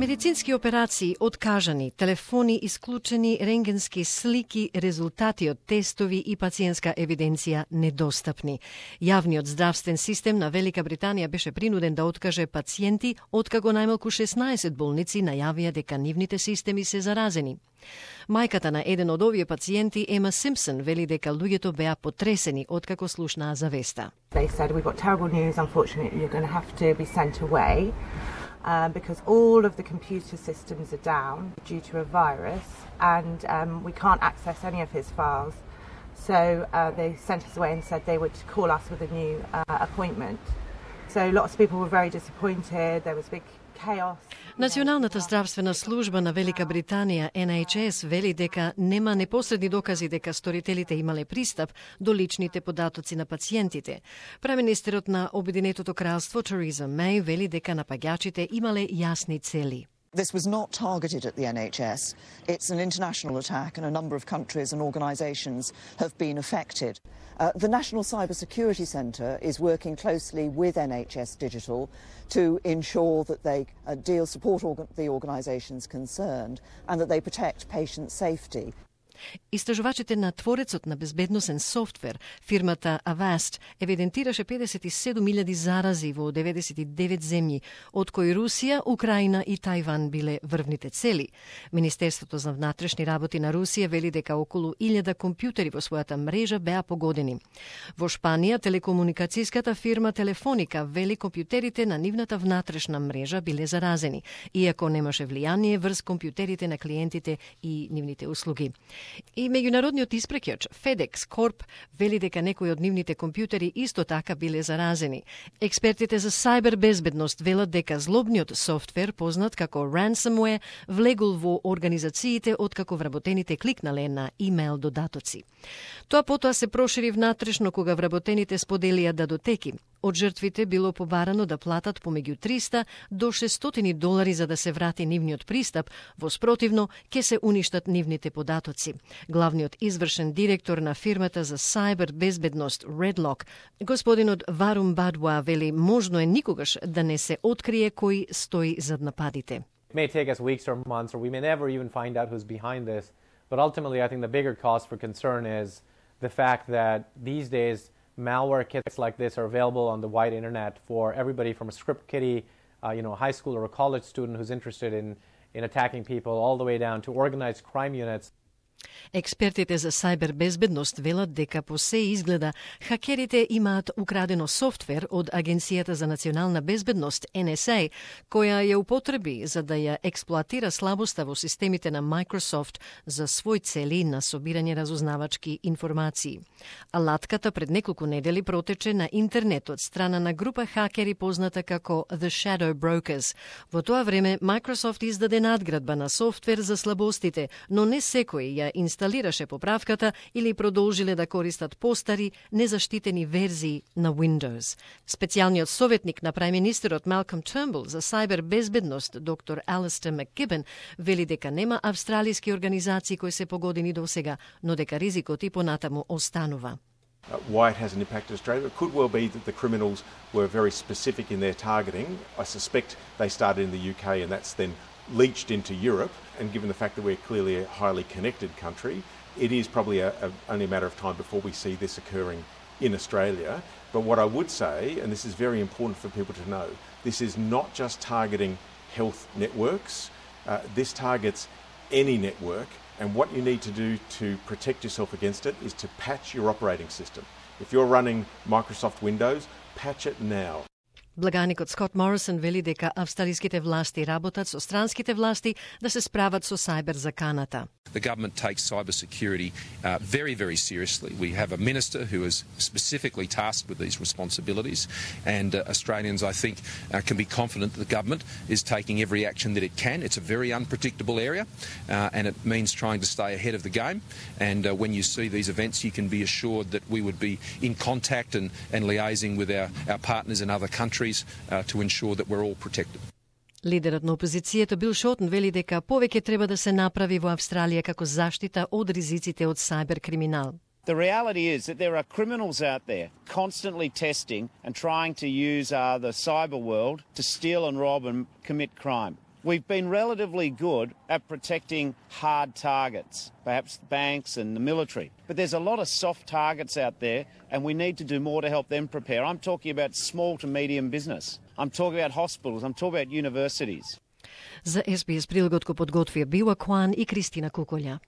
Медицински операции откажани, телефони исклучени, рентгенски слики, резултати од тестови и пациентска евиденција недостапни. Јавниот здравствен систем на Велика Британија беше принуден да откаже пациенти, откако најмалку 16 болници најавија дека нивните системи се заразени. Мајката на еден од овие пациенти, Ема Симпсон, вели дека луѓето беа потресени откако слушнаа за веста. They said, we've got terrible news, unfortunately you're going to have to be sent away. Because all of the computer systems are down due to a virus and we can't access any of his files. So they sent us away and said they would call us with a new appointment. So lots of people were very disappointed. There was big chaos. Националната здравствена служба на Велика Британија, NHS, вели дека нема непосредни докази дека сторителите имале пристап до личните податоци на пациентите. Преминистерот на Обединетото кралство, Тереза Меј, вели дека напаѓачите имале јасни цели. This was not targeted at the NHS. It's an international attack and a number of countries and organisations have been affected. The National Cybersecurity Centre is working closely with NHS Digital to ensure that they support the organisations concerned and that they protect patient safety. Истражувачите на творецот на безбедносен софтвер, фирмата Avast, евидентираше 57.000 зарази во 99 земји, од кои Русија, Украина и Тајван биле врвните цели. Министерството за внатрешни работи на Русија вели дека околу 1000 компјутери во својата мрежа беа погодени. Во Шпанија, телекомуникацијската фирма Телефоника вели компјутерите на нивната внатрешна мрежа биле заразени, иако немаше влијание врз компјутерите на клиентите и нивните услуги. И меѓународниот испреќач FedEx Corp вели дека некои од нивните компјутери исто така биле заразени. Експертите за сајбер безбедност велат дека злобниот софтвер, познат како ransomware, влегол во организациите откако вработените кликнале на имейл додатоци. Тоа потоа се прошири внатрешно кога вработените споделија датотеки. Од жртвите било побарано да платат помеѓу $300 до $600 за да се врати нивниот пристап, во спротивно ќе се уништат нивните податоци. Главниот извршен директор на фирмата за сајбер безбедност Redlock, господинот Варум Бадуа, вели можно е никогаш да не се открие кој стои зад нападите. It may take us weeks or months, or we may never even find out who's behind this. But ultimately, I think the bigger cause for concern is the fact that these days malware kits like this are available on the wide internet for everybody from a script kiddie, a high school or a college student who's interested in attacking people, all the way down to organized crime units. Експертите за сајбер безбедност велат дека по се изгледа хакерите имаат украдено софтвер од Агенцијата за национална безбедност NSA, која ја употреби за да ја експлоатира слабоста во системите на Microsoft за свој цели на собирање разузнавачки информации. Алатката пред неколку недели протече на интернет од страна на група хакери позната како The Shadow Brokers. Во тоа време Microsoft издаде надградба на софтвер за слабостите, но не секој ја инсталираше поправката или продолжиле да користат постари, незаштитени верзии на Windows. Специјалниот советник на премиnisтерот Малком Turnbull за сајбер безбедност, доктор Алистер Макгибен, вели дека нема австралиски организации кои се погодени досега, но дека ризикот и понатаму останува. Why it hasn't impacted Australia? It could well be that the criminals were very specific in their targeting. I suspect they started in the UK and that's then leached into Europe, and given the fact that we're clearly a highly connected country, it is probably only a matter of time before we see this occurring in Australia. But what I would say, and this is very important for people to know, this is not just targeting health networks, this targets any network, and what you need to do to protect yourself against it is to patch your operating system. If you're running Microsoft Windows, patch it now. Благаникот Скот Морисон вели дека австралиските власти работат со странските власти да се справат со сајбер заканата. The government takes cybersecurity very, very seriously. We have a minister who is specifically tasked with these responsibilities, and Australians, I think, can be confident that the government is taking every action that it can. It's a very unpredictable area, and it means trying to stay ahead of the game. And when you see these events, you can be assured that we would be in contact and liaising with our partners in other countries to ensure that we're all protected. Лидерот на опозицијата Бил Шотен вели дека повеќе треба да се направи во Австралија како заштита од ризиците од сајбер криминал. The reality is that there are criminals out there constantly testing and trying to use the cyber world to steal and rob and commit crime. We've been relatively good at protecting hard targets, perhaps banks and the military. But there's a lot of soft targets out there, and we need to do more to help them prepare. I'm talking about small to medium business. I'm talking about hospitals. I'm talking about universities. За SBS прилогот го подготвија Била Куан и Кристина Куколја.